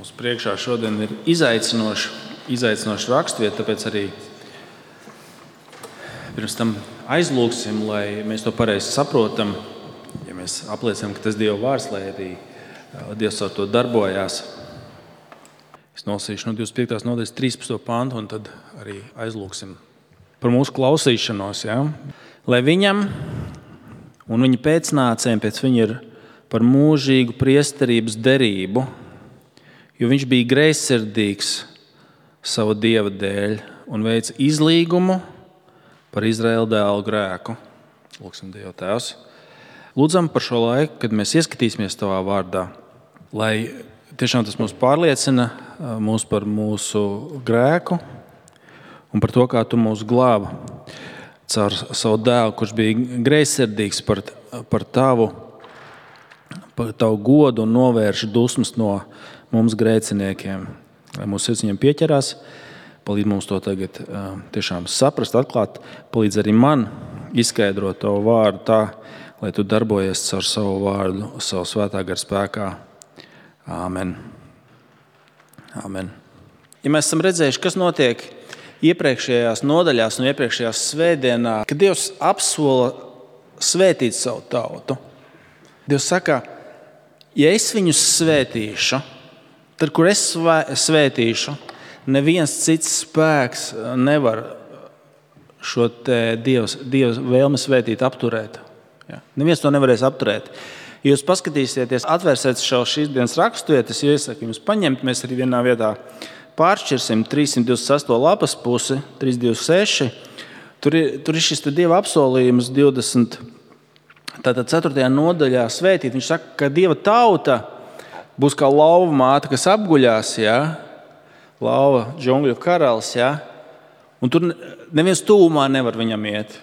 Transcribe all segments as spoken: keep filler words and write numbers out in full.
Mums priekšā šodien ir izaicinoša, izaicinoša rakstvieta, tāpēc arī pirms tam aizlūgsim, lai mēs to pareizi saprotam. Ja mēs apliecinām, ka tas Dieva vārds, lai arī Dievs ar to darbojās. Es nolasīšu no divdesmit piektās nodaļas trīspadsmito pantu un tad arī aizlūgsim par mūsu klausīšanos. Ja? Lai viņam un viņa pēcnācējiem pēc viņa ir par mūžīgu priesterības derību, jo viņš bija greizsirdīgs savu Dieva dēļ un veica izlīgumu par Izraēla dēlu grēku. Lūksim Dievu Tēvs. Lūdzam par šo laiku, kad mēs ieskatīsimies Tavā vārdā, lai tiešām tas mūs pārliecina mūs par mūsu grēku un par to, kā Tu mūs glābi caur savu dēlu, kurš bija greizsirdīgs par, par Tavu, par Tavu godu un novērš dusmas no mums grēciniekiem. Lai mūsu sirds viņam pieķerās, palīdz mums to tagad uh, tiešām saprast, atklāt, palīdz arī man izskaidrot Tavu vārdu tā, lai Tu darbojies caur savu vārdu, savu svētā gara spēkā. Āmen. Āmen. Ja mēs esam redzējuši, kas notiek iepriekšējās nodaļās un iepriekšējās svētdienā, kad Dievs apsola svētīt savu tautu, Dievs saka, ja es viņus svētīšu, tad, kur es svētīšu, neviens cits spēks nevar šo Dievs, Dievs vēlmi svētīt apturēt. Ja? Neviens to nevarēs apturēt. Ja jūs paskatīsieties, atvērsiet šo šīs dienas raksturvietas, ja iesaku jums paņemt, mēs arī vienā vietā pāršķirsim trīssimt divdesmit sesto lapas pusi, trīs divdesmit seši. Tur ir, tur ir šis Dieva apsolījums divdesmit Tātad ceturtajā nodaļā svētīt. Viņš saka, ka Dieva tauta būs kā lauva māte, kas apguļās, ja? Lauva džungļu karalis, ja? Un tur neviens tūmā nevar viņam iet.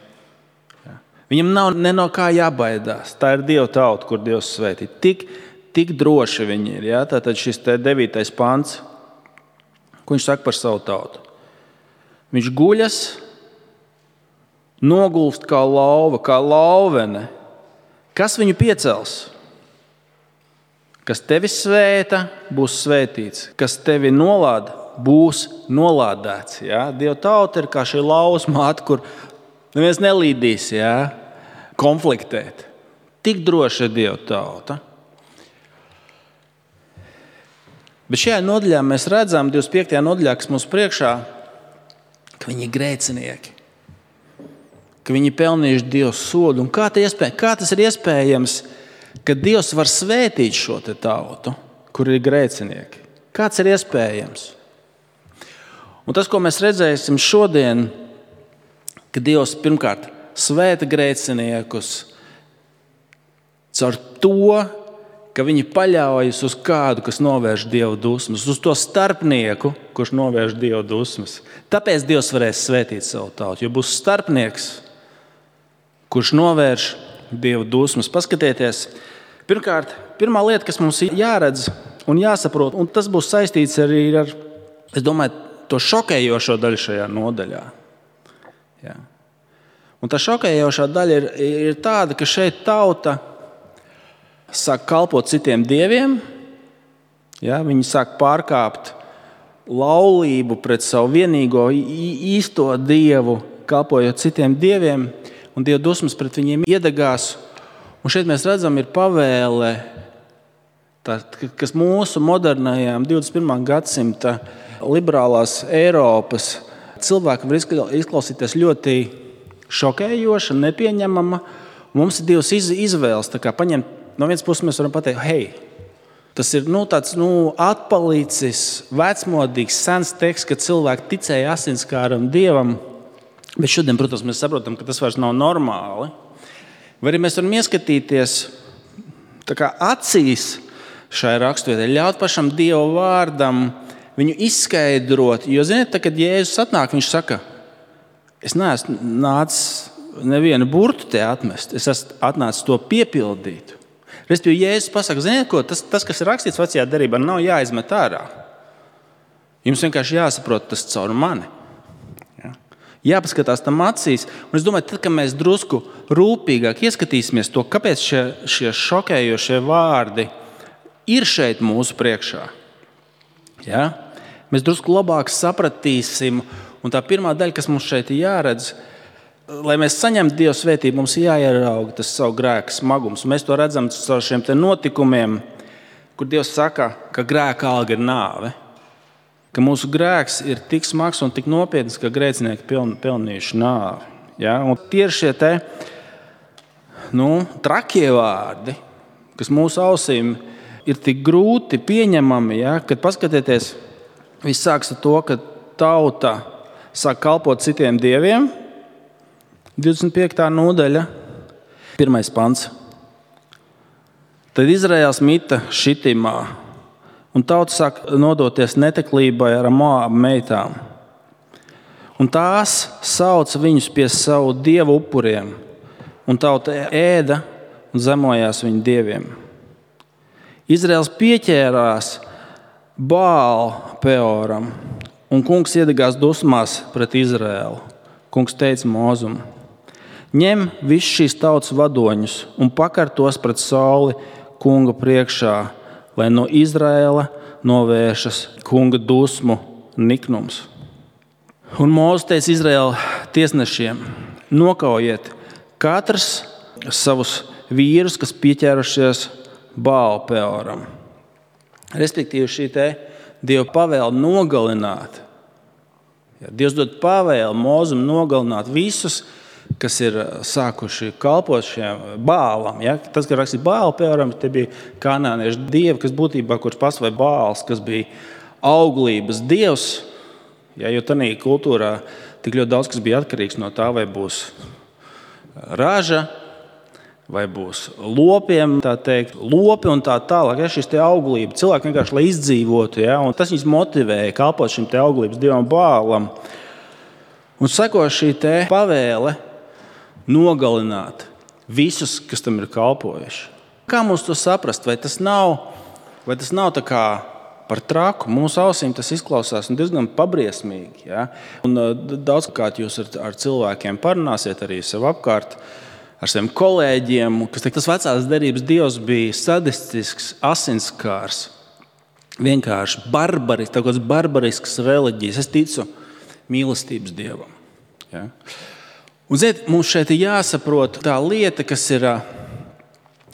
Ja? Viņam nav ne no kā jābaidās. Tā ir Dieva tauta, kur Dievs svētīt. Tik, tik droši viņi ir. Ja? Tātad šis te devītais pants, ko viņš saka par savu tautu. Viņš guļas, nogulst kā lauva, kā lauvene. Kas viņu piecels? Kas tevi svēta, būs svētīts. Kas tevi nolāda, būs nolādēts. Ja? Dieva tauta ir kā šī lauvas māte, kur neviens nelīdīs, ja? Konfliktēt. Tik droši ir Dieva tauta. Bet šajā nodaļā mēs redzam, divdesmit piektajā nodaļā, kas mums priekšā, ka viņi ir grēcinieki. Ka viņi pelnījuši Dieva sodu. Un kā, iespēj, kā tas ir iespējams, ka Dievs var svētīt šo te tautu, kur ir grēcinieki? Kāds ir iespējams? Un tas, ko mēs redzēsim šodien, ka Dievs pirmkārt svēta grēciniekus caur to, ka viņi paļaujas uz kādu, kas novērš Dieva dusmas, uz to starpnieku, kurš novērš Dieva dusmas. Tāpēc Dievs varēs svētīt savu tautu, jo būs starpnieks, kurš novērš Dieva dusmas. Paskatieties, pirmkārt, pirmā lieta, kas mums ir jāredz un jāsaprot, un tas būs saistīts arī ar, es domāju, to šokējošo daļu šajā nodaļā. Jā. Un tā šokējošā daļa ir, ir tāda, ka šeit tauta sāk kalpot citiem dieviem, ja, viņi sāk pārkāpt laulību pret savu vienīgo īsto dievu, kalpojot citiem dieviem, un Dieva dusmas pret viņiem iedegās. Un šeit mēs redzam, ir pavēle, tā, kas mūsu modernajām divdesmit pirmā gadsimta liberālās Eiropas cilvēki var izklausīties ļoti šokējoša, nepieņemama. Mums ir divas izvēles, tā kā paņemt. No vienas puses mēs varam pateikt, hei, tas ir nu, tāds nu, atpalicis, vecmodīgs, sens teksts, ka cilvēki ticēja asinskāram dievam, bet šodien, protams, mēs saprotam, ka tas vairs nav normāli. Vai arī mēs varam ieskatīties tā kā acīs šai raksturvietē, ļaut pašam Dieva vārdam viņu izskaidrot, jo, ziniet, tā, kad Jēzus atnāk, viņš saka, es neesmu nācis nevienu burtu te atmest, es esmu atnācis to piepildīt. Respektīvi, Jēzus pasaka, ziniet ko, tas, tas, kas ir rakstīts vecajā derībā, nav jāizmet ārā. Jums vienkārši jāsaprot tas caur mani. Ja? Jāpaskatās tam acīs. Un es domāju, tad, kad mēs drusku rūpīgāk ieskatīsimies to, kāpēc šie, šie šokējošie vārdi ir šeit mūsu priekšā. Ja? Mēs drusku labāk sapratīsim, un tā pirmā daļa, kas mums šeit ir jāredz, lai mēs saņemtu Dieva svētību, mums ir jāierauga tas savu grēku smagums. Mēs to redzam caur šiem te notikumiem, kur Dievs saka, ka grēka alga ir nāve. Ka mūsu grēks ir tik smags un tik nopietns, ka grēcinieki piln, pelnījuši nāvi. Ja? Un tie ir šie te, nu, trakie vārdi, kas mūsu ausīm ir tik grūti pieņemami, ja? Kad paskatieties, viss sāks ar to, ka tauta sāk kalpot citiem dieviem. divdesmit piektā nodaļa, pirmais pants. Tad Izraēls mita Šitimā, un tauta sāk nodoties neteklībai ar Moābu meitām. Un tās sauca viņus pie savu dievu upuriem, un tauta ēda un zemojās viņu dieviem. Izraēls pieķērās Bāal Peoram, un kungs iedegās dusmās pret Izraēlu. Kungs teica Mozum: ņem visus šīs tautas vadoņus un pakar tos pret sauli kunga priekšā, lai no Izraēla novēršas kunga dusmu niknums. Un Mūzes teica Izraēla tiesnešiem: nokaujiet katrs savus vīrus, kas pieķērušies Bāal Peoram. Respektīvi šī te Dieva pavēle nogalināt. Ja, Dievs dod pavēli Mūzum nogalināt visus, kas ir sākuši kalpot šiem Bālam. Ja? Tas, ka rakstīja Bāal Peoram, te bija kanāniešu dievi, kas būtībā, kurš pastāvēja Bāls, kas bija auglības dievs. Ja, jo tādā kultūrā tik ļoti daudz, kas bija atkarīgs no tā, vai būs raža, vai būs lopiem, tā teikt, lopi un tā tālāk. Ja, šis te auglība, cilvēki vienkārši, lai izdzīvotu, ja? Un tas viņus motivēja kalpot šim te auglības dievam Bālam. Un seko šī te pavēle nogalināt visus, kas tam ir kalpojuši. Kā mums to saprast? Vai tas nav, vai tas nav tā kā par traku? Mūsu ausīm tas izklausās diezgan pabriesmīgi. Ja? Un daudzkārt jūs ar, ar cilvēkiem parunāsiet arī sev apkārt, ar saviem kolēģiem, kas teikt, tas vecās derības dievs bija sadistisks, asinskārs, vienkārši barbarisks, tā kāds barbarisks reliģijas. Es ticu mīlestības dievam. Ja? Un, ziniet, mums šeit ir jāsaprot tā lieta, kas ir,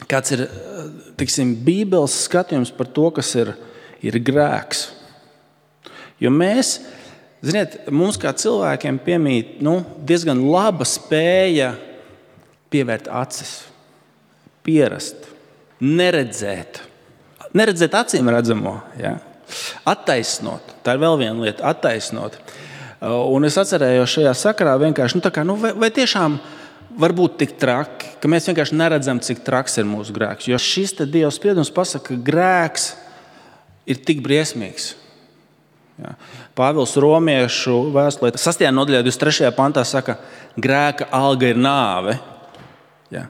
kāds ir, tiksim, Bībeles skatījums par to, kas ir, ir grēks. Jo mēs, ziniet, mums kā cilvēkiem piemīt, nu, diezgan laba spēja pievērt acis, pierast, neredzēt. Neredzēt acīm redzamo, ja? Attaisnot. Tā ir vēl viena lieta, attaisnot. Un es atcerējos šajā sakarā vienkārši, nu, tā kā, nu, vai, vai tiešām var būt tik traki, ka mēs vienkārši neredzam, cik traks ir mūsu grēks. Jo šis te Dieva spriedums pasaka, ka grēks ir tik briesmīgs. Ja. Pāvils Romiešu vēstulē sastajā nodaļā divdesmit trešajā pantā saka, grēka alga ir nāve. Ja.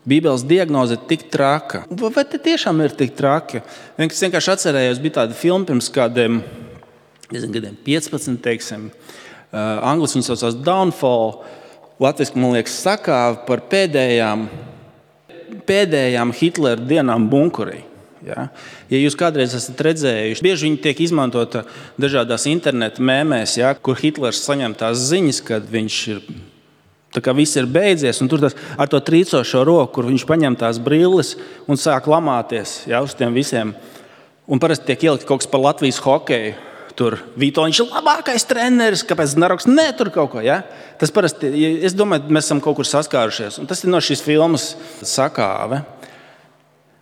Bībeles diagnoze ir tik traka. Vai te tiešām ir tik traki? Es vienkārši atcerējos, bija tāda filma pirms kādiem gadiem piecpadsmit, teiksim, uh, anglis viņu saucās Downfall, latviski, man liekas, sakā par pēdējām, pēdējām Hitlera dienām bunkurī. Ja? Ja jūs kādreiz esat redzējuši, bieži viņi tiek izmantota dažādās interneta mēmēs, ja? Kur Hitlers saņem tās ziņas, kad viņš ir, tā kā viss ir beidzies, un tur tas, ar to trīcošo roku, kur viņš paņem tās brilles un sāk lamāties, ja, uz tiem visiem. Un parasti tiek ielikt kaut kas par Latvijas hokeju. Tur Vitoņš ir labākais treneris, kāpēc Naroks ne tur kaut ko. Ja? Tas parasti, es domāju, mēs esam kaut kur saskārušies. Un tas ir no šīs filmas sakāve.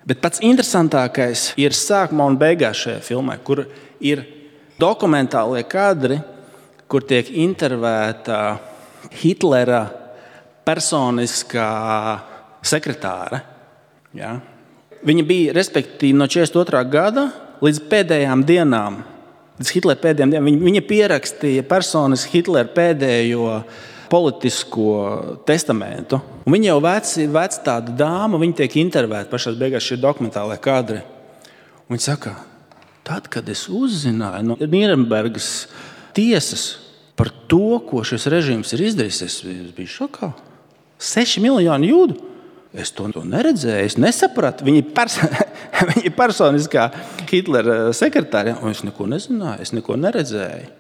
Bet pats interesantākais ir sākumā un beigās šajā filmā, kur ir dokumentālie kadri, kur tiek intervēta Hitlera personiskā sekretāre. Ja? Viņa bija, respektīvi, no četrdesmit otrā gada līdz pēdējām dienām. Hitlera pēdējiem dienām. Viņa pierakstīja personiski Hitlera pēdējo politisko testamentu. Un viņa jau veci, veci tāda dāma, viņa tiek intervēta pašās beigās šie dokumentālie kadri. Un viņa saka, tad, kad es uzzināju no Nīrenbergas tiesas par to, ko šis režīms ir izdarījis, es biju šokā. Seši miljoni jūdu. Es to, to neredzēju, es nesapratu. Viņa ir pers viņa personiskā Hitlera sekretāra, un es neko nezināju, es neko neredzēju.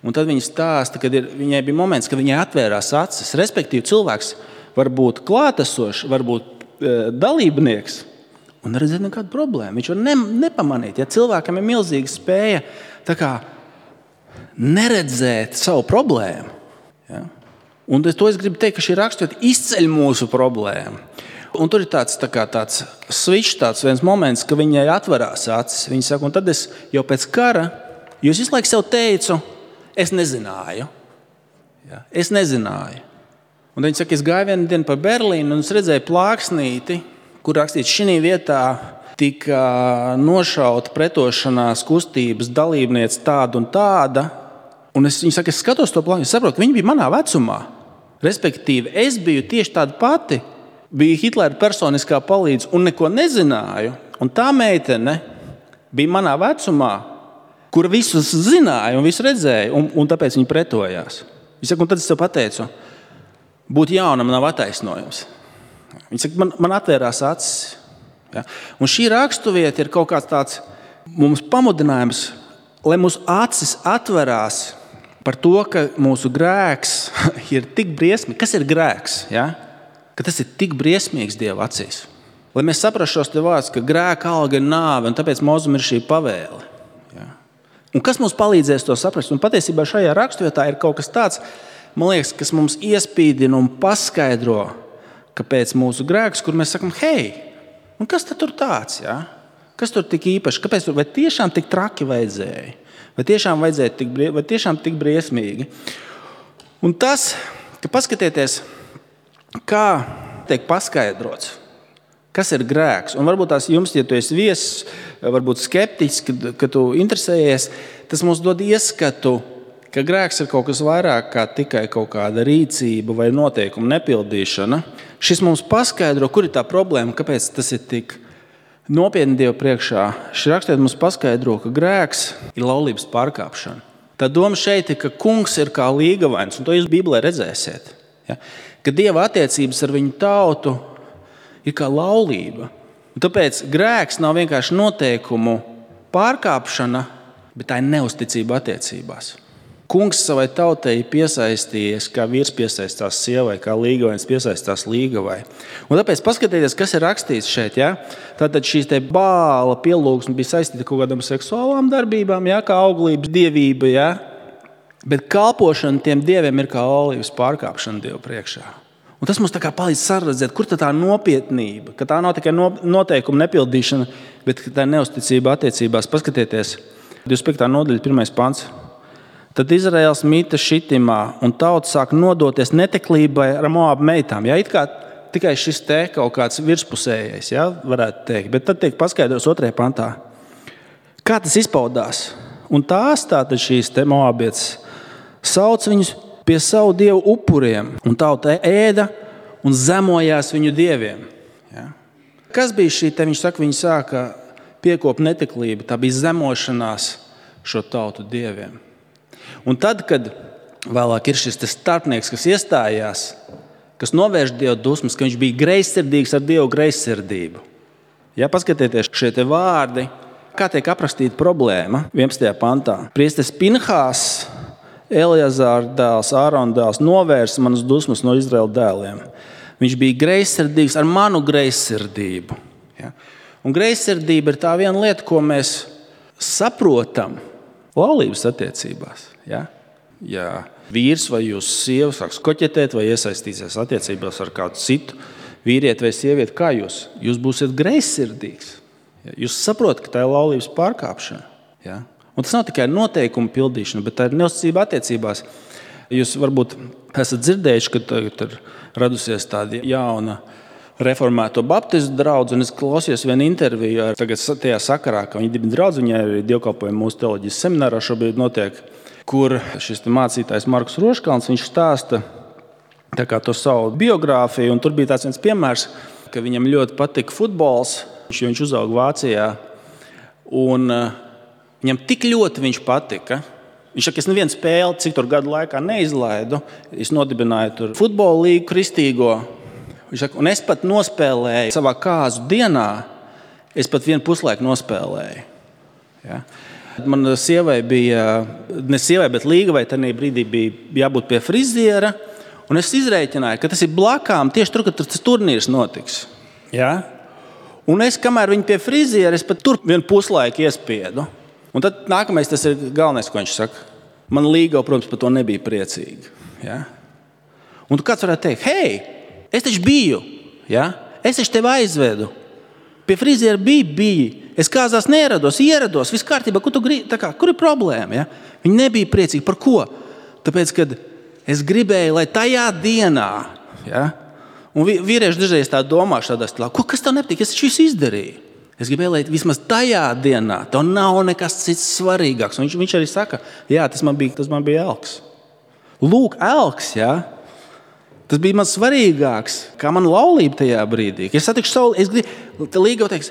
Un tad viņa stāsta, ka ir, viņai bija moments, kad viņai atvērās acis. Respektīvi, cilvēks var būt klātesošs, var būt e, dalībnieks un neredzēt nekādu problēmu. Viņš var ne, nepamanīt. Ja cilvēkam ir milzīga spēja tā kā neredzēt savu problēmu. Ja? Un to es gribu teikt, ka šī raksturība izceļ mūsu problēmu. Un tur ir tāds, tā kā, tāds switch, tāds viens moments, ka viņai atverās acis. Viņa saka, un tad es jau pēc kara, jo es visu laiku sev teicu, es nezināju. Ja? Es nezināju. Un viņa saka, es gāju vienu dienu pa Berlīnu un es redzēju plāksnīti, kur rakstīts, šī vietā tika nošauta pretošanās kustības dalībniece tāda un tāda. Un es, viņa saka, es skatos to plāksnīti, es saprotu, ka viņa bija manā vecumā. Respektīvi, es biju tieši tāda pati, biju Hitlera personiskā palīdze un neko nezināju. Un tā meitene bija manā vecumā, kura visus zināja un visu redzēja, un, un tāpēc viņi pretojās. Viņa saka, un tad es tev pateicu, būt jaunam nav attaisnojums. Viņa saka, man, man atvērās acis. Ja? Un šī raksturvieta ir kaut kāds tāds mums pamudinājums, lai mūsu acis atverās par to, ka mūsu grēks ir tik briesmīgs. Kas ir grēks? Ja? Ka tas ir tik briesmīgs Dieva acīs. Lai mēs saprastu šos te vārdus, ka grēka alga ir nāve, un tāpēc mūzum ir šī pavēle. Ja? Un kas mums palīdzēs to saprast? Un patiesībā šajā raksturvietā ir kaut kas tāds, man liekas, kas mums iespīdina un paskaidro, kāpēc mūsu grēks, kur mēs sakam, hei, un kas tad tur tāds? Ja? Kas tur tik īpaši? Kāpēc tur? Vai tiešām tik traki vajadzēja? Vai tiešām vajadzēja tik, vai tiešām tik briesmīgi? Un tas, ka paskatieties, kā tiek paskaidrots, kas ir grēks. Un varbūt tās jums, ja tu esi viesis, varbūt skeptiķis, kad, kad tu interesējies, tas mums dod ieskatu, ka grēks ir kaut kas vairāk kā tikai kaut kāda rīcība vai noteikuma nepildīšana. Šis mums paskaidro, kur ir tā problēma, kāpēc tas ir tik nopietni Dievu priekšā. Šis rakstīt mums paskaidro, ka grēks ir laulības pārkāpšana. Tā doma šeit ir, ka kungs ir kā līgavains, un to jūs Bībelē redzēsiet. Ja? Ka Dieva attiecības ar viņu tautu ir kā laulība. Un tāpēc grēks nav vienkārši noteikumu pārkāpšana, bet tā ir neusticība attiecībās. Kungs savai tautai ir piesaistījies, kā vīrs piesaistās sievai, kā līgavains piesaistās līgavai. Un tāpēc paskatieties, kas ir rakstīts šeit. Ja? Tātad šīs te Bāla pielūgsme bija saistīta kaut kādām seksuālām darbībām, ja? Kā auglības dievība, ja? Bet kalpošana tiem dieviem ir kā laulības pārkāpšana Dievu priekšā. Un tas mums tā kā palīdz saredzēt, kur tā nopietnība, ka tā nav tikai noteikuma nepildīšana, bet tā ir neusticība attiecībās. Paskatieties, divdesmit piekta nodaļa, pirmais pants. Tad Izraēls mīta Šitimā, un tauta sāk nodoties neteklībai ar Moabu meitām. Ja, it kā tikai šis te kaut kāds virspusējais, ja, varētu teikt. Bet tad tiek paskaidrots otrajā pantā. Kā tas izpaudās? Un tās tātad šīs te Moabietes sauc viņus pie savu dievu upuriem, un tauta ēda un zemojās viņu dieviem. Ja? Kas bija šī te? Viņš saka, viņi sāka piekop neteklību. Tā bija zemošanās šo tautu dieviem. Un tad, kad vēlāk ir šis starpnieks, kas iestājās, kas novērš Dievu dusmas, ka viņš bija greizsirdīgs ar Dievu greizsirdību. Ja, paskatieties šie te vārdi, kā tiek aprakstīta problēma vienpadsmitajā pantā. Priesteris Pinhās, Eleazāra dēls, Ārona dēls, novērs manas dusmas no Izraēla dēliem. Viņš bija greizsirdīgs ar manu greizsirdību. Ja? Un greizsirdība ir tā viena lieta, ko mēs saprotam laulības attiecībās. Ja? Ja vīrs vai jūs sieva sāks koķetēt vai iesaistīsies attiecībās ar kādu citu vīrieti vai sievieti, kā jūs? Jūs būsiet greizsirdīgs. Ja? Jūs saprotat, ka tā ir laulības pārkāpšana. Ja? Un tas nav tikai noteikuma pildīšana, bet tā ir neusticība attiecībās. Jūs varbūt esat dzirdējuši, ka tagad ir radusies tāda jauna reformēto baptistu draudze, un es klausījos vienu interviju ar tagad tajā sakarā, ka viņi dibina draudzi, viņai arī dievkalpojumi mūsu teoloģijas seminārā šobrīd notiek, kur šis mācītājs Markus Roškalns, viņš stāsta tā kā to savu biogrāfiju, un tur bija tāds viens piemērs, ka viņam ļoti patika futbols, jo viņš uzauga Vācijā, un viņam tik ļoti viņš patika. Viņš saka, es nevienu spēli, cik tur gadu laikā neizlaidu. Es nodibināju tur futbola līgu kristīgo. Viņš saka, un es pat nospēlēju savā kāzu dienā, es pat vienu puslaiku nospēlēju. Ja? Man sievai bija, ne sievai, bet līgavai tajā brīdī bija jābūt pie friziera, un es izrēķināju, ka tas ir blakām tieši tur, kad tas turnīrs notiks. Ja? Un es, kamēr viņi pie friziera, es pat tur vienu puslaiku iespiedu. Un tad nākamais, tas ir galvenais, ko viņš saka. Man līgava, protams, par to nebija priecīga. Ja? Un tu kāds varētu teikt, hei, es taču biju, ja? Es taču tevi aizvedu. Pie friziera bija, bija. Es kāzās neierados, ierados, viss kārtībā, kur tu gribi, tā kā, kur ir problēma? Ja? Viņi nebija priecīgi. Par ko? Tāpēc, kad es gribēju, lai tajā dienā, ja? Un vīrieši dažreiz tā domā šādā stilā, ko, kas tev nepatīk, es taču visu izdarīju. Es gribēju, lai vismaz tajā dienā tev nav nekas cits svarīgāks. Un viņš, viņš arī saka, jā, tas man bija, tas man bija elks. Lūk, elks, ja? Tas bija man svarīgāks, kā man laulība tajā brīdī. Es satikšu sauli, es gribēju, līgava teiks,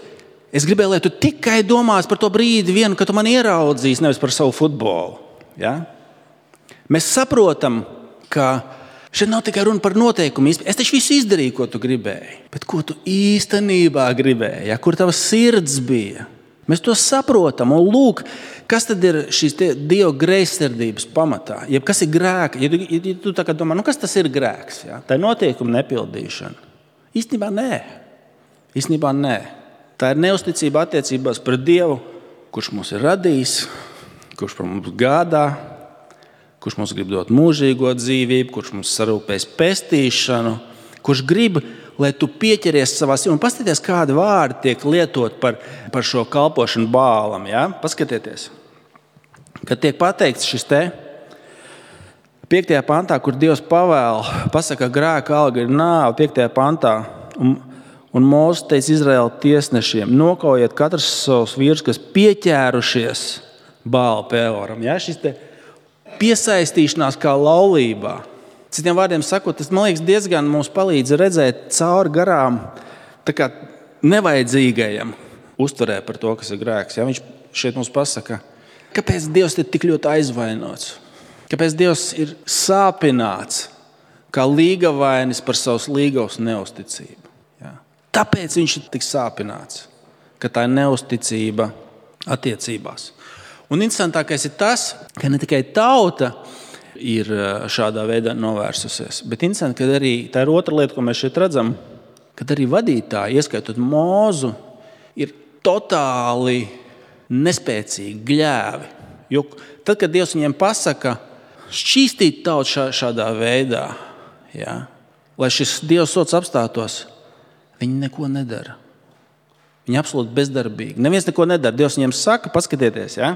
es gribēju, lai tu tikai domās par to brīdi vienu, ka tu mani ieraudzīs, nevis par savu futbolu. Ja? Mēs saprotam, ka šeit nav tikai runa par noteikumu. Es taču visu izdarīju, ko tu gribēji. Bet ko tu īstenībā gribēji? Ja? Kur tava sirds bija? Mēs to saprotam. Un lūk, kas tad ir šīs Dieva greizsirdības pamatā? Jeb kas ir grēka? Ja tu, ja tu tā kā domā, nu kas tas ir grēks? Ja? Tā ir noteikuma nepildīšana. Īstenībā nē. Īstenībā nē. Tā ir neusticība attiecībās pret Dievu, kurš mūs ir radījis, kurš par mums gādā, kurš mums grib dot mūžīgo dzīvību, kurš mums sarūpēs pestīšanu, kurš grib, lai tu pieķeries savā sirdī. Un paskatieties, kādi vārdi tiek lietot par, par šo kalpošanu Bālam. Ja? Paskatieties, kad tiek pateikts šis te piektajā pantā, kur Dievs pavēl, pasaka, grēka alga ir nāve, piektajā pantā, un, un Mūzes teica Izraēla tiesnešiem, nokaujiet katrs savus vīrus, kas pieķērušies Bāla Peoram. Ja? Šis te piesaistīšanās kā laulībā. Citiem vārdiem sakot, tas, man liekas, diezgan mums palīdz redzēt cauri garām tā kā nevajadzīgajam uztverē par to, kas ir grēks. Ja? Viņš šeit mums pasaka, kāpēc Dievs ir tik ļoti aizvainots, kāpēc Dievs ir sāpināts kā līgavainis par savas līgavas neusticību. Ja? Tāpēc viņš ir tik sāpināts, ka tā ir neusticība attiecībās. Un interesantākais ir tas, ka ne tikai tauta ir šādā veidā novērsusies. Bet interesanti, ka arī tā ir otra lieta, ko mēs šeit redzam, kad arī vadītāji, ieskaitot Mūzu, ir totāli nespēcīgi, gļēvi. Jo tad, kad Dievs viņiem pasaka šķīstīt tautu šā, šādā veidā, ja, lai šis Dieva sots apstātos, viņi neko nedara. Viņi absolūti bezdarbīgi. Neviens neko nedara. Dievs viņiem saka, paskatieties, ja?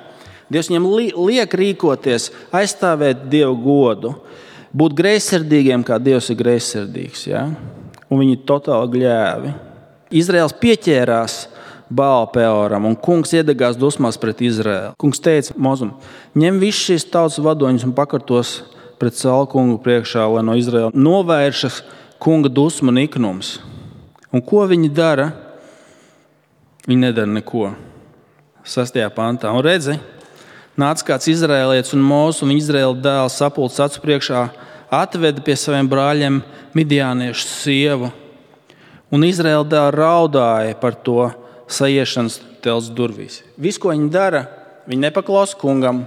Dievs viņiem liek rīkoties, aizstāvēt Dievu godu, būt greizsirdīgiem, kā Dievs ir greizsirdīgs. Ja? Un viņi totāli gļēvi. Izraēls pieķērās Bāla Peoram, un kungs iedegās dusmās pret Izraēlu. Kungs teica Mozum, ņem visus šīs tautas vadoņus un pakartos pret Saulu kungu priekšā, lai no Izraēla novēršas kunga dusma un iknums. Un ko viņi dara? Viņi nedara neko. Sastajā pantā. Un redzi, nāca kāds izraēlietis un Mūzes un Izraēla dēls sapulces acu priekšā, atveda pie saviem brāļiem midjāniešu sievu. Un Izraēla dēls raudāja par to saiešanas telts durvīs. Viss, ko viņi dara, viņi nepaklausa kungam.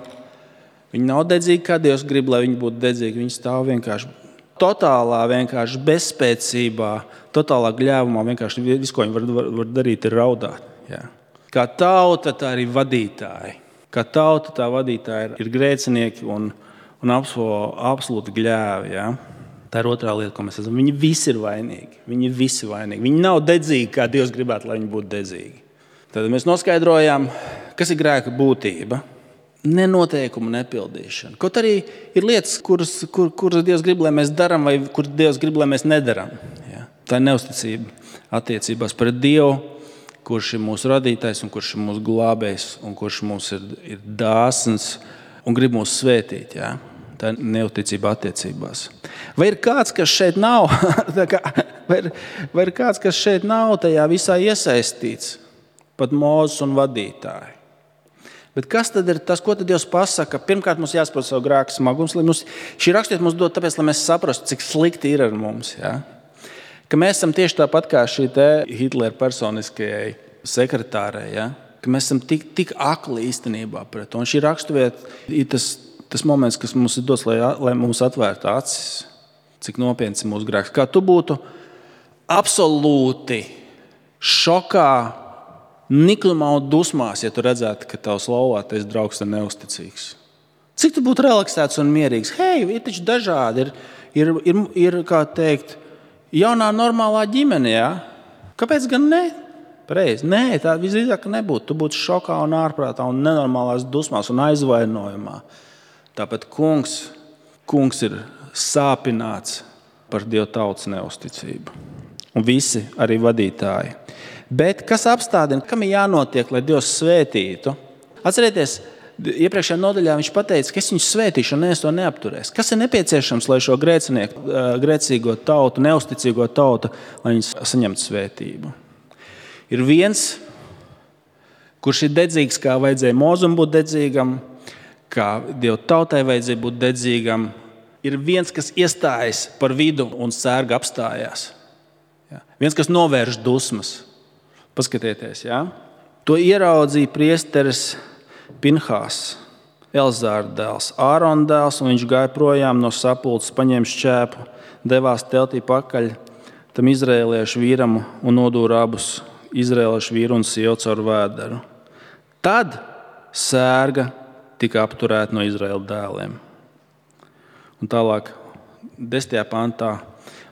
Viņi nav dedzīgi, kā Dievs grib, lai viņi būtu dedzīgi. Viņi stāv vienkārši totālā, vienkārši bezspēcībā, totālā gļēvumā. Vienkārši viss, ko viņi var, var, var darīt, ir raudāt. Ja. Kā tauta, tā arī vadītāji. Kā tauta, tā vadītāji ir, ir grēcinieki un, un absolūti gļēvi. Ja. Tā ir otrā lieta, ko mēs redzam. Viņi visi ir vainīgi. Viņi visi vainīgi. Viņi nav dedzīgi, kā Dievs gribētu, lai viņi būtu dedzīgi. Tad mēs noskaidrojām, kas ir grēka būtība. Nenoteikumu nepildīšana. Kaut arī ir lietas, kuras, kur, kuras Dievs grib, lai mēs darām, vai kuras Dievs grib, lai mēs nedarām. Ja. Tā ir neusticība attiecībās pret Dievu, kurš ir mūsu radītājs un kurš ir mūsu glābējs un kurš mums ir, ir dāsns un grib mūs svētīt. Ja? Tā ir neusticība attiecībās. Vai ir kāds, kas šeit nav? vai, ir, vai ir kāds, kas šeit nav tajā visā iesaistīts? Pat Mūzes un vadītāji. Bet kas tad ir tas, ko tad Dievs pasaka? Pirmkārt, mums jāsaprot savu grēku smagums. Mums, šī rakstiet mums dod tāpēc, lai mēs saprastu, cik slikti ir ar mums. Ja? Ka mēs esam tieši tāpat kā šī te Hitlera personiskajai sekretārei, ja? Ka mēs esam tik, tik akli īstenībā pret to. Un šī raksturvieta ir tas, tas moments, kas mums ir dots, lai, lai mums atvērtu acis, cik nopietns ir mūsu grēks. Kā tu būtu absolūti šokā, niklumā un dusmās, ja tu redzētu, ka tavs laulātais draugs ir neusticīgs. Cik tu būtu relaksēts un mierīgs? Hei, ir taču dažādi, ir, ir, ir, ir kā teikt, jaunā normālā ģimene, jā? Kāpēc gan ne? Pareizi. Nē, tā visdrīzāk nebūtu. Tu būtu šokā un ārprātā un nenormālās dusmās un aizvainojumā. Tāpēc kungs, kungs ir sāpināts par Dieva tautas neusticību. Un visi arī vadītāji. Bet kas apstādina, kam ir jānotiek, lai Dievs svētītu? Atcerieties, iepriekšējā nodaļā viņš pateica, ka es viņu svētīšu un es to neapturēs. Kas ir nepieciešams, lai šo grēcinieku, grēcīgo tautu, neusticīgo tautu, lai viņi saņemtu svētību? Ir viens, kurš ir dedzīgs, kā vajadzēja Mozum būt dedzīgam, kā Dieva tautai vajadzēja būt dedzīgam. Ir viens, kas iestājas par vidu un sērga apstājās. Ja? Viens, kas novērš dusmas. Paskatieties, ja? To ieraudzīja priesteris Pinhās, Elzāra dēls, Ārona dēls, un viņš gāja projām no sapulces, paņēma šķēpu, devās teltī pakaļ tam izrēliešu vīram un nodūra abus izrēliešu vīru un sievu caur vēderu. Tad sērga tika apturēta no Izraēla dēliem. Un tālāk, desmitajā pantā,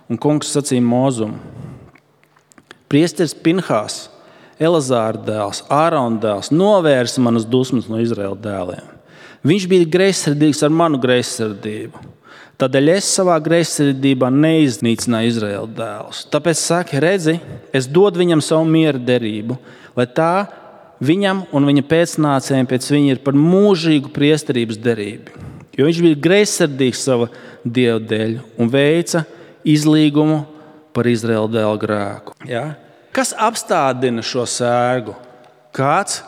un kungs sacīja Mozumu: priesteris Pinhās, Elazāra dēls, Ārona dēls, novērsa manas dusmas no Izraēla dēliem. Viņš bija greizsirdīgs ar manu greizsirdību. Tādēļ es savā greizsirdībā neiznīcināju Izraēla dēlus. Tāpēc saki, redzi, es dodu viņam savu miera derību, lai tā viņam un viņa pēcnācējiem pēc viņa ir par mūžīgu priesterības derību. Jo viņš bija greizsirdīgs sava Dieva dēļ un veica izlīgumu par Izraēla dēlu grēku. Ja? Kas apstādina šo sērgu? Kāds,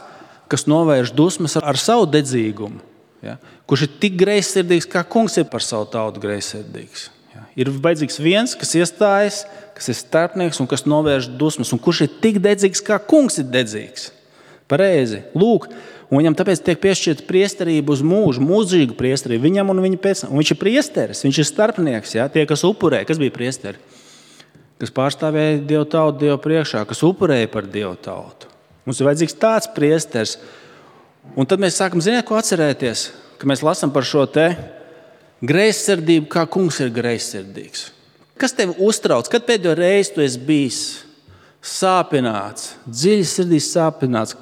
kas novērš dusmas ar savu dedzīgumu, ja? Kurš ir tik greizsirdīgs, kā kungs ir par savu tautu greizsirdīgs. Ja? Ir vajadzīgs viens, kas iestājas, kas ir starpnieks un kas novērš dusmas, un kurš ir tik dedzīgs, kā kungs ir dedzīgs. Pareizi. Lūk, un viņam tāpēc tiek piešķirta priesterība uz mūžu, mūžīgu priesterību viņam un viņa pēc. Un viņš ir priesteris, viņš ir starpnieks, ja? Tie, kas upurē, kas bija priesteri? Kas pārstāvēja Dievu tautu Dievu priekšā, kas upurēja par Dievu tautu. Mums ir vajadzīgs tāds priesteris. Un tad mēs sākam, ziniet, ko atcerēties, ka mēs lasām par šo te greizsirdību, kā kungs ir greizsirdīgs. Kas tevi uztrauc? Kad pēdējo reizi tu esi bijis sāpināts, dziļi sirdī sāpināts,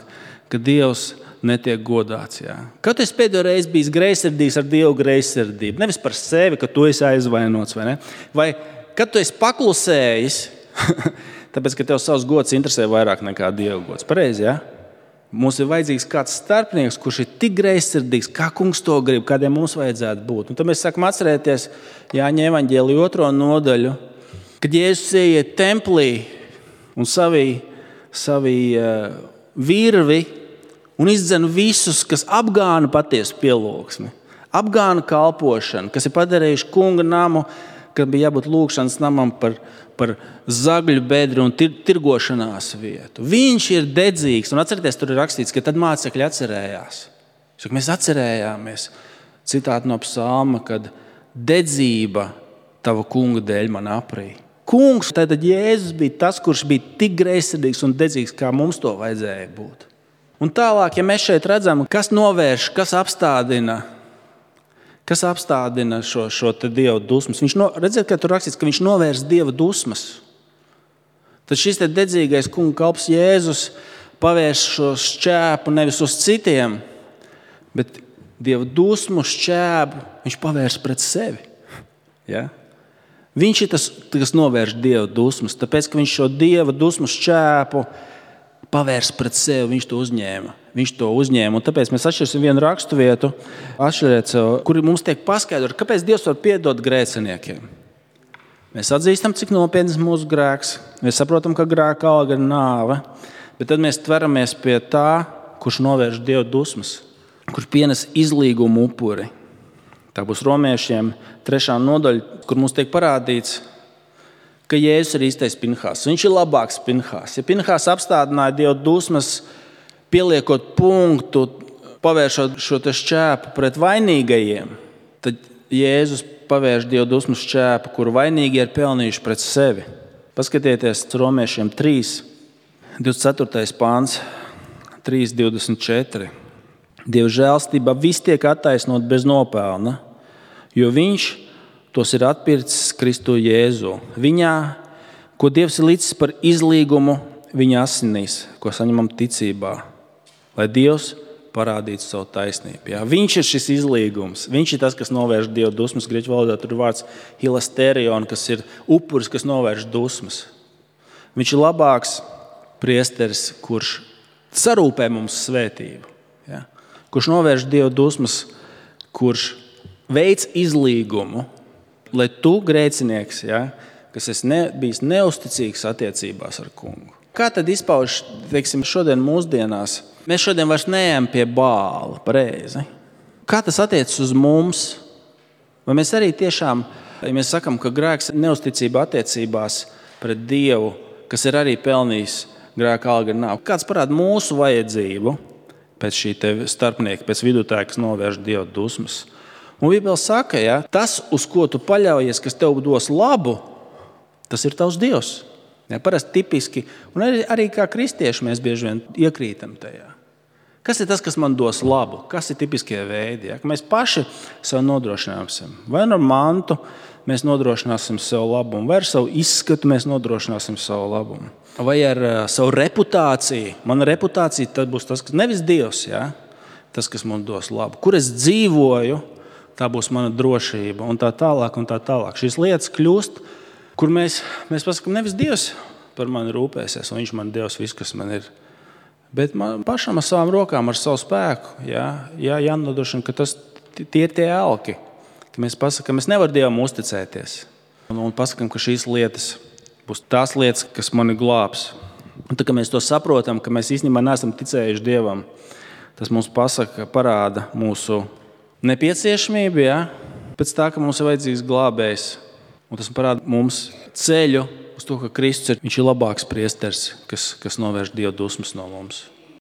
ka Dievs netiek godāts? Jā? Kad tu esi pēdējo reizi bijis greizsirdīgs ar Dievu greizsirdību? Nevis par sevi, ka tu esi aizvainots, vai ne? Vai kad tu esi paklusējis, tāpēc, ka tev savs gods interesē vairāk nekā Dieva gods. Pareizi, ja? Mums ir vajadzīgs kāds starpnieks, kurš ir tik greizsirdīgs, kā kungs to grib, kādiem mums vajadzētu būt. Un tad mēs sākam atcerēties Jāņa evaņģēlija otro nodaļu, kad Jēzus ieiet templī un savī, savī uh, virvi un izdzen visus, kas apgāna patiesu pielūgsmi, apgāna kalpošanu, kas ir padarījuši kunga namu, kad bija jābūt lūgšanas namam par, par zagļu bedri un tir, tirgošanās vietu. Viņš ir dedzīgs, un atcerieties, tur ir rakstīts, ka tad mācekļi atcerējās. Saka, mēs atcerējāmies, citāti no psalma, kad dedzība tava kunga dēļ man aprī. Kungs, tātad Jēzus bija tas, kurš bija tik greizsirdīgs un dedzīgs, kā mums to vajadzēja būt. Un tālāk, ja mēs šeit redzam, kas novērš, kas apstādina, Kas apstādina šo, šo te Dieva dusmas? Viņš no, redziet, ka tur rakstīts, ka viņš novērs Dieva dusmas. Tad šis te dedzīgais kunga kalps Jēzus pavērš šo šķēpu nevis uz citiem, bet Dieva dusmu šķēpu viņš pavērš pret sevi. Ja? Viņš ir tas, kas novērš Dieva dusmas, tāpēc, ka viņš šo Dieva dusmu šķēpu pavērs pret sevi, viņš to uzņēma. Viņš to uzņēma, un tāpēc mēs atšķirsim vienu rakstu vietu, atšķiriet sev, kur mums tiek paskaidrot, kāpēc Dievs var piedot grēciniekiem. Mēs atzīstam, cik nopietns mūsu grēks, mēs saprotam, ka grēka alga ir nāve, bet tad mēs tveramies pie tā, kurš novērš Dieva dusmas, kurš pienes izlīgumu upuri. Tā būs romiešiem trešā nodaļa, kur mums tiek parādīts, ka Jēzus ir īstais Pinhās. Viņš ir labāks Pinhās. Ja Pinhās apstādināja Dieva dusmas, pieliekot punktu, pavēršot šo te šķēpu pret vainīgajiem, tad Jēzus pavērš Dieva dusmas šķēpu, kuru vainīgie ir pelnījuši pret sevi. Paskatieties Romiešiem trīs, divdesmit ceturtais pāns, trīs divdesmit četri. Dieva žēlstība viss tiek attaisnot bez nopelna, jo viņš tos ir atpircis Kristu Jēzu. Viņā, ko Dievs ir licis par izlīgumu viņa asinīs, ko saņemam ticībā, lai Dievs parādītu savu taisnību. Jā, viņš ir šis izlīgums. Viņš ir tas, kas novērš Dieva dusmas. Grieķu valodā tur ir vārds hilasterion, kas ir upuris, kas novērš dusmas. Viņš ir labāks priesteris, kurš sarūpē mums svētību. Jā. Kurš novērš Dieva dusmas, kurš veic izlīgumu, lai tu, grēcinieks, ja, kas esi ne, bijis neusticīgs attiecībās ar kungu. Kā tad izpauž, teiksim, šodien mūsdienās? Mēs šodien vairs neejam pie Bāla, pareizi. Kā tas attiecas uz mums? Vai mēs arī tiešām, ja mēs sakam, ka grēks ir neusticība attiecībās pret Dievu, kas ir arī pelnījis grēka alga ir nāve? Kāds parāda mūsu vajadzību pēc šī te starpnieka, pēc vidutāja, kas novērš Dieva dusmas? Un Bībele saka, ja, tas, uz ko tu paļaujies, kas tev dos labu, tas ir tavs Dievs. Ja, parasti tipiski, un arī, arī kā kristieši mēs bieži vien iekrītam tajā. Kas ir tas, kas man dos labu? Kas ir tipiskie veidi? Ja? Ka mēs paši sev nodrošināsim. Vai ar mantu mēs nodrošināsim sev labumu, vai ar savu izskatu mēs nodrošināsim savu labumu. Vai ar uh, savu reputāciju. Mana reputācija tad būs tas, kas nevis Dievs, ja? Tas, kas man dos labu. Kur es dzīvoju, tā būs mana drošība un tā tālāk un tā tālāk. Šīs lietas kļūst, kur mēs, mēs pasakām, nevis Dievs par mani rūpēsies, un viņš man Dievs viss, kas man ir. Bet man pašam ar savām rokām, ar savu spēku, jā, jā, jānodrošina, ka tas, tie ir tie elki. Ka mēs pasakām, mēs nevaram Dievam uzticēties. Un, un pasakām, ka šīs lietas būs tās lietas, kas mani glābs. Un tā, ka mēs to saprotam, ka mēs īstenībā neesam ticējuši Dievam, tas mums pasaka, parāda mūsu nepieciešamību, ja? Pēc tā, ka mums ir vajadzīgs glābējs. Un tas parāda mums ceļu uz to, ka Kristus ir, viņš ir labāks priesteris, kas, kas novērš Dieva dusmas no mums.